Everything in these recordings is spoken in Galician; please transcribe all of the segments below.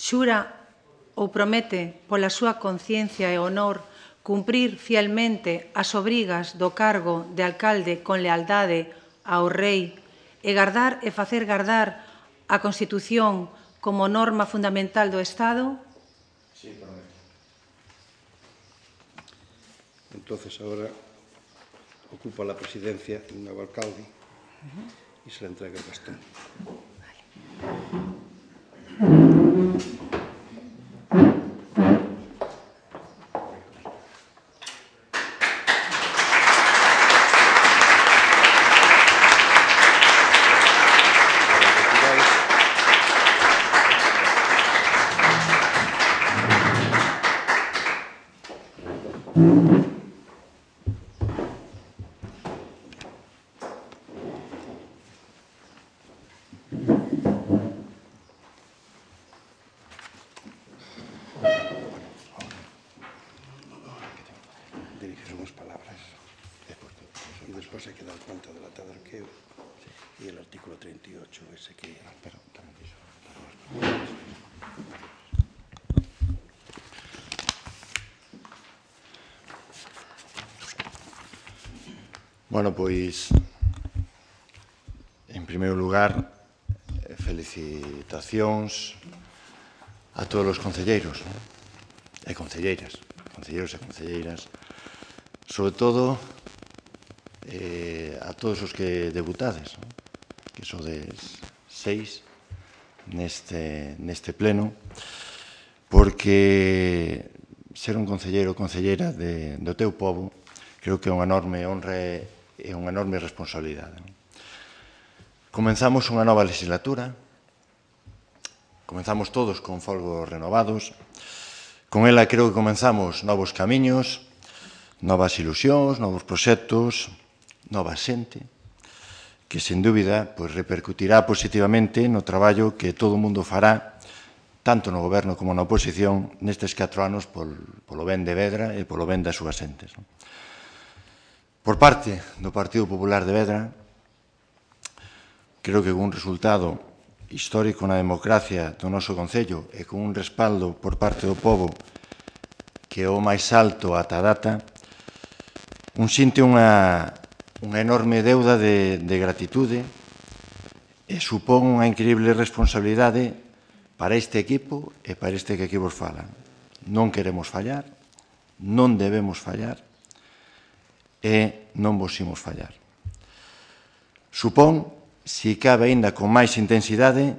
Xura ou promete pola súa conciencia e honor cumprir fielmente as obrigas do cargo de alcalde con lealdade ao rei e gardar e facer gardar a Constitución como norma fundamental do Estado? Sí, prometo. Entonces, ahora ocupa la presidencia un nuevo alcalde y se le entrega el bastón. Diriges unas palabras y después hay que dar cuenta del atadarqueo y el artículo 38, ese que... Bueno, pois, en primeiro lugar, felicitacións a todos os concelleiros e concelleiras, concelleiros e concelleiras, sobre todo a todos os que debutades, que sodes 6 neste pleno, porque ser un concelleiro ou concelleira do teu povo creo que é unha enorme honra e unha enorme responsabilidade. Comenzamos unha nova legislatura, comenzamos todos con folgos renovados, con ela creo que comenzamos novos camiños, novas ilusións, novos proxectos, nova xente, que sen dúbida repercutirá positivamente no traballo que todo o mundo fará, tanto no goberno como na oposición, nestes 4 anos polo ben de Vedra e polo ben das súas xentes. Por parte do Partido Popular de Vedra, creo que con un resultado histórico na democracia do noso Concello e con un respaldo por parte do povo que é o máis alto ata a data, un sinte unha enorme deuda de gratitude e supón unha increíble responsabilidade para este equipo e para este que aquí vos fala. Non queremos fallar, non debemos fallar, e non vos imos fallar. Supón, se cabe aínda con máis intensidade,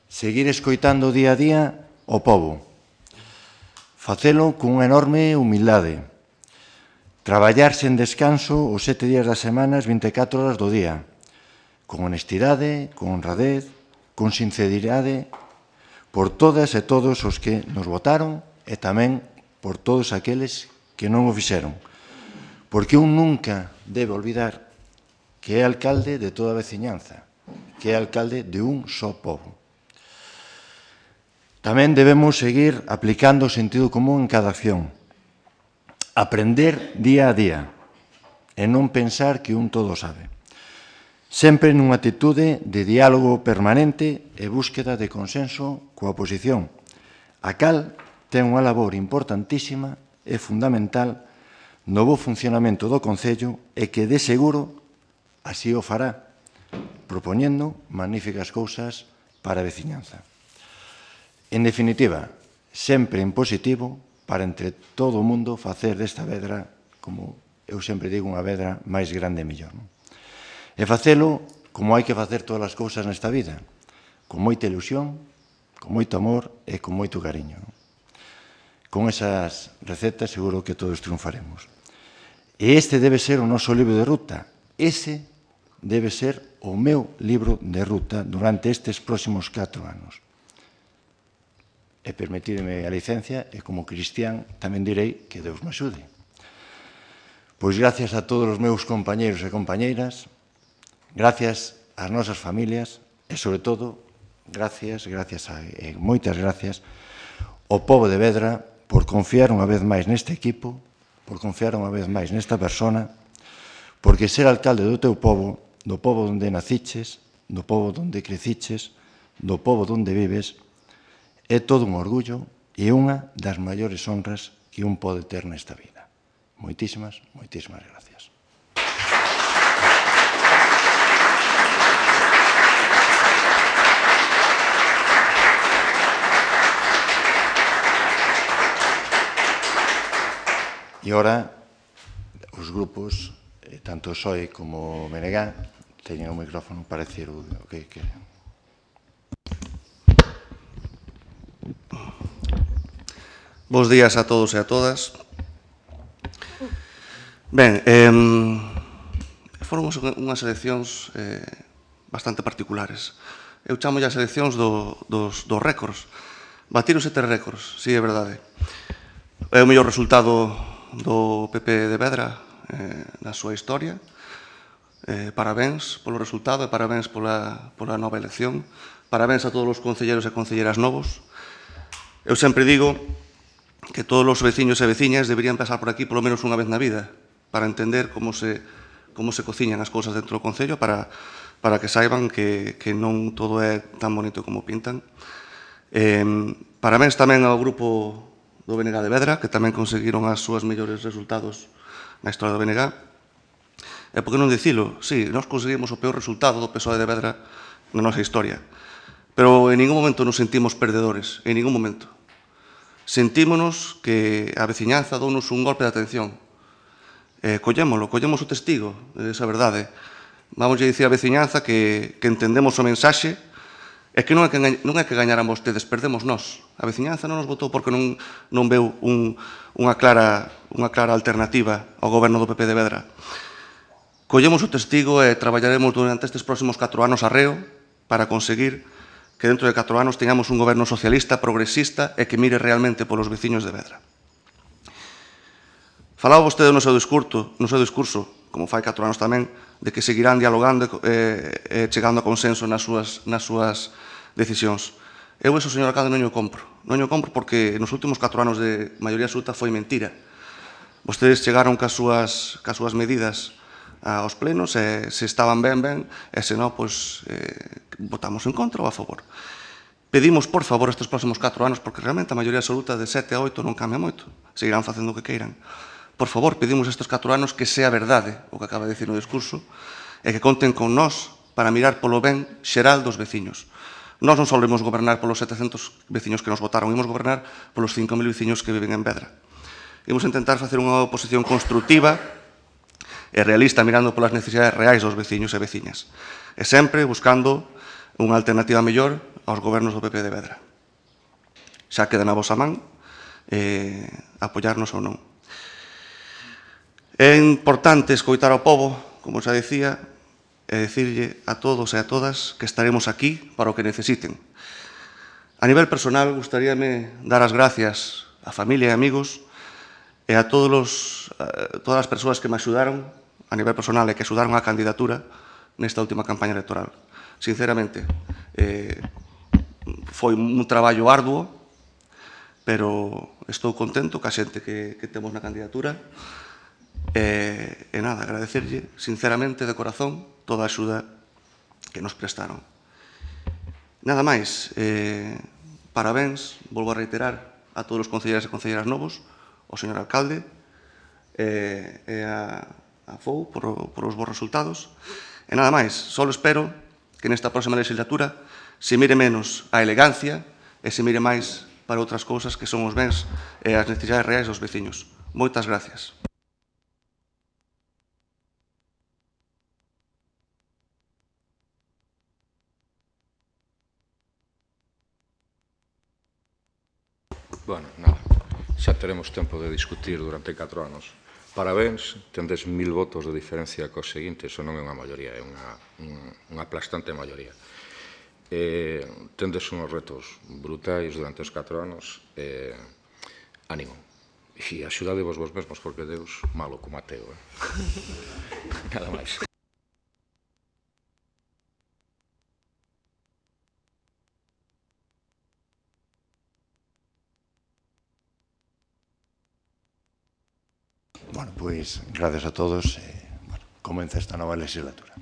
seguir escoitando día a día o povo. Facelo con unha enorme humildade. Traballar sen descanso os 7 días da semana, as 24 horas do día. Con honestidade, con honradez, con sinceridade, por todas e todos os que nos votaron e tamén por todos aqueles que non o fixeron. Porque un nunca debe olvidar que é alcalde de toda a veciñanza, que é alcalde de un só pobo. Tamén debemos seguir aplicando o sentido común en cada acción, aprender día a día e non pensar que un todo sabe. Sempre nunha actitude de diálogo permanente e búsqueda de consenso coa oposición, a cal ten unha labor importantísima e fundamental no bo funcionamento do Concello e que, de seguro, así o fará, propoñendo magníficas cousas para a veciñanza. En definitiva, sempre en positivo para entre todo o mundo facer desta Vedra, como eu sempre digo, unha Vedra máis grande e mellor. E facelo como hai que facer todas as cousas nesta vida, con moita ilusión, con moito amor e con moito cariño. Con esas recetas seguro que todos triunfaremos. E este debe ser o noso libro de ruta. Ese debe ser o meu libro de ruta durante estes próximos 4 anos. E permitidme a licencia, e como cristián tamén direi que Deus me axude. Pois gracias a todos os meus compañeiros e compañeiras, gracias ás nosas familias e, sobre todo, moitas gracias ao pobo de Vedra por confiar unha vez máis neste equipo, por confiar unha vez máis nesta persona, porque ser alcalde do teu povo, do povo onde naciches, do povo onde creciches, do povo onde vives, é todo un orgullo e unha das maiores honras que un pode ter nesta vida. Moitísimas, moitísimas gracias. E ora, os grupos, tanto SOE como Menegá, teñen o micrófono para decir o que queren. Bos días a todos e a todas. Ben, foron unhas eleccións bastante particulares. Eu chamo as eleccións dos récords. Batiron 7 récords, si é verdade. É o mellor resultado do PP de Vedra na súa historia. Parabéns polo resultado e parabéns pola nova elección. Parabéns a todos os concelleiros e concelleiras novos. Eu sempre digo que todos os veciños e veciñas deberían pasar por aquí polo menos unha vez na vida para entender como se cociñan as cousas dentro do Concello, para que saiban que non todo é tan bonito como pintan. Parabéns tamén ao grupo do BNG de Vedra, que tamén conseguiron as súas mellores resultados na historia do BNG. E por que non dicilo? Sí, nós conseguimos o peor resultado do PSOE de Vedra na nosa historia. Pero en ningún momento nos sentimos perdedores, en ningún momento. Sentímonos que a veciñanza dounos un golpe de atención. Collemos o testigo desa verdade. Vamos a dicir a veciñanza que entendemos o mensaxe e que non é que gañaran vostedes, perdemos nós. A veciñanza non nos votou porque non veu unha clara alternativa ao goberno do PP de Vedra. Collemos o testigo e traballaremos durante estes próximos 4 anos arreo para conseguir que dentro de 4 anos teñamos un goberno socialista, progresista e que mire realmente polos veciños de Vedra. Falaba vostede no seu discurso, como fai 4 anos tamén, de que seguirán dialogando e chegando a consenso nas súas decisións. Eu, eso, señor alcalde, non o compro. Non o compro porque nos últimos 4 anos de maioría absoluta foi mentira. Vostedes chegaron cas súas medidas aos plenos e se estaban ben, e se non, pois, votamos en contra ou a favor. Pedimos, por favor, estes próximos 4 anos, porque realmente a maioría absoluta de 7 a 8 non cambia moito, seguirán facendo o que queiran. Por favor, pedimos estes 4 anos que sea verdade o que acaba de dicir no discurso e que conten con nós para mirar polo ben xeral dos veciños. Nós non só imos gobernar polos 700 veciños que nos votaron, imos gobernar polos 5.000 veciños que viven en Vedra. Imos intentar facer unha oposición constructiva e realista mirando polas necesidades reais dos veciños e veciñas e sempre buscando unha alternativa mellor aos gobernos do PP de Vedra. Xa queda na vosa man apoiarnos ou non. É importante escoitar ao pobo, como xa dicía, e dicirlle a todos e a todas que estaremos aquí para o que necesiten. A nivel personal, gustaríame dar as gracias a familia e amigos e a todas as persoas que me axudaron a nivel personal e que axudaron a candidatura nesta última campaña electoral. Sinceramente, foi un traballo arduo, pero estou contento ca xente que temos na candidatura. E nada, agradecerlle sinceramente de corazón toda a axuda que nos prestaron. Nada máis, parabéns, volvo a reiterar a todos os concelleiros e concelleiras novos, ao señor alcalde e a FOU por os bons resultados. E nada máis, só espero que nesta próxima legislatura se mire menos a elegancia e se mire máis para outras cousas que son os bens e as necesidades reais dos veciños. Moitas gracias. Bueno, nada, xa teremos tempo de discutir durante 4 anos. Parabéns, tendes 1000 votos de diferencia cos seguintes, eso non é unha maioría, é unha aplastante maioría. Tendes uns retos brutais durante os 4 anos, ánimo. E axudadevos vos mesmos, porque Deus malo como ateo. Nada máis. Bueno, pois, gracias a todos. Comeza esta nova legislatura.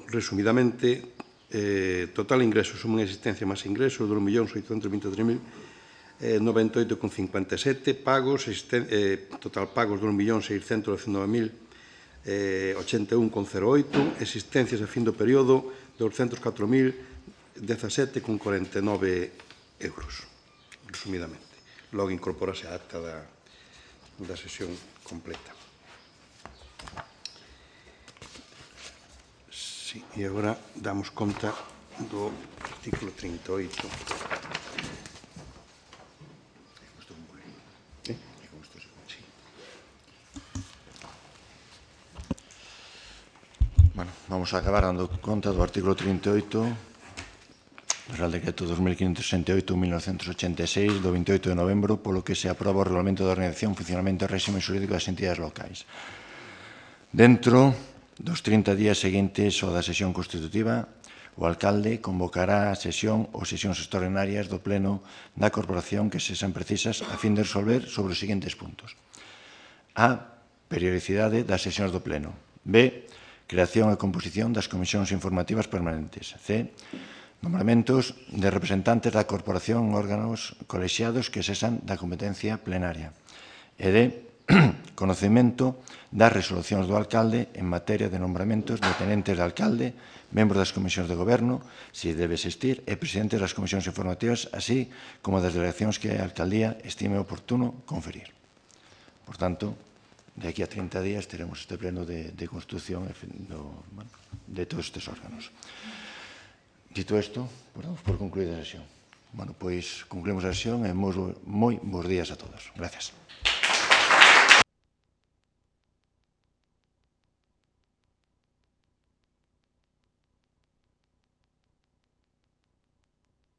Resumidamente, total ingresos, suma en existencia máis ingresos, 2.823.098,57, pagos, total pagos, 2.619.081,08, existencias a fin do período, 204.017,49 euros, resumidamente. Logo incorporase a acta da sesión completa. Sí, e agora damos conta do artículo 38. Bueno, vamos a acabar dando conta do artículo 38 do Real Decreto 2568-1986 do 28 de novembro, polo que se aproba o Regulamento de Organización, Funcionamento e Réxime Xurídico das Entidades Locais. Dentro dos 30 días seguintes ao da sesión constitutiva, o alcalde convocará a sesión ou sesións extraordinarias do Pleno da Corporación que se sean precisas a fin de resolver sobre os seguintes puntos. A. Periodicidade das sesións do Pleno. B. Creación e composición das comisións informativas permanentes. C. Nombramentos de representantes da corporación en órganos colexiados que cesan da competencia plenaria. E D. Conocemento das resolucións do alcalde en materia de nombramentos de tenentes de alcalde, membros das comisións de goberno, se debe existir, e presidentes das comisións informativas, así como das delegacións que a alcaldía estime oportuno conferir. Por tanto, de aquí a 30 días teremos este pleno de constitución de todos estes órganos. Dito isto, damos por concluída a sesión. Bueno, pois concluímos a sesión e moi bons días a todos. Gracias.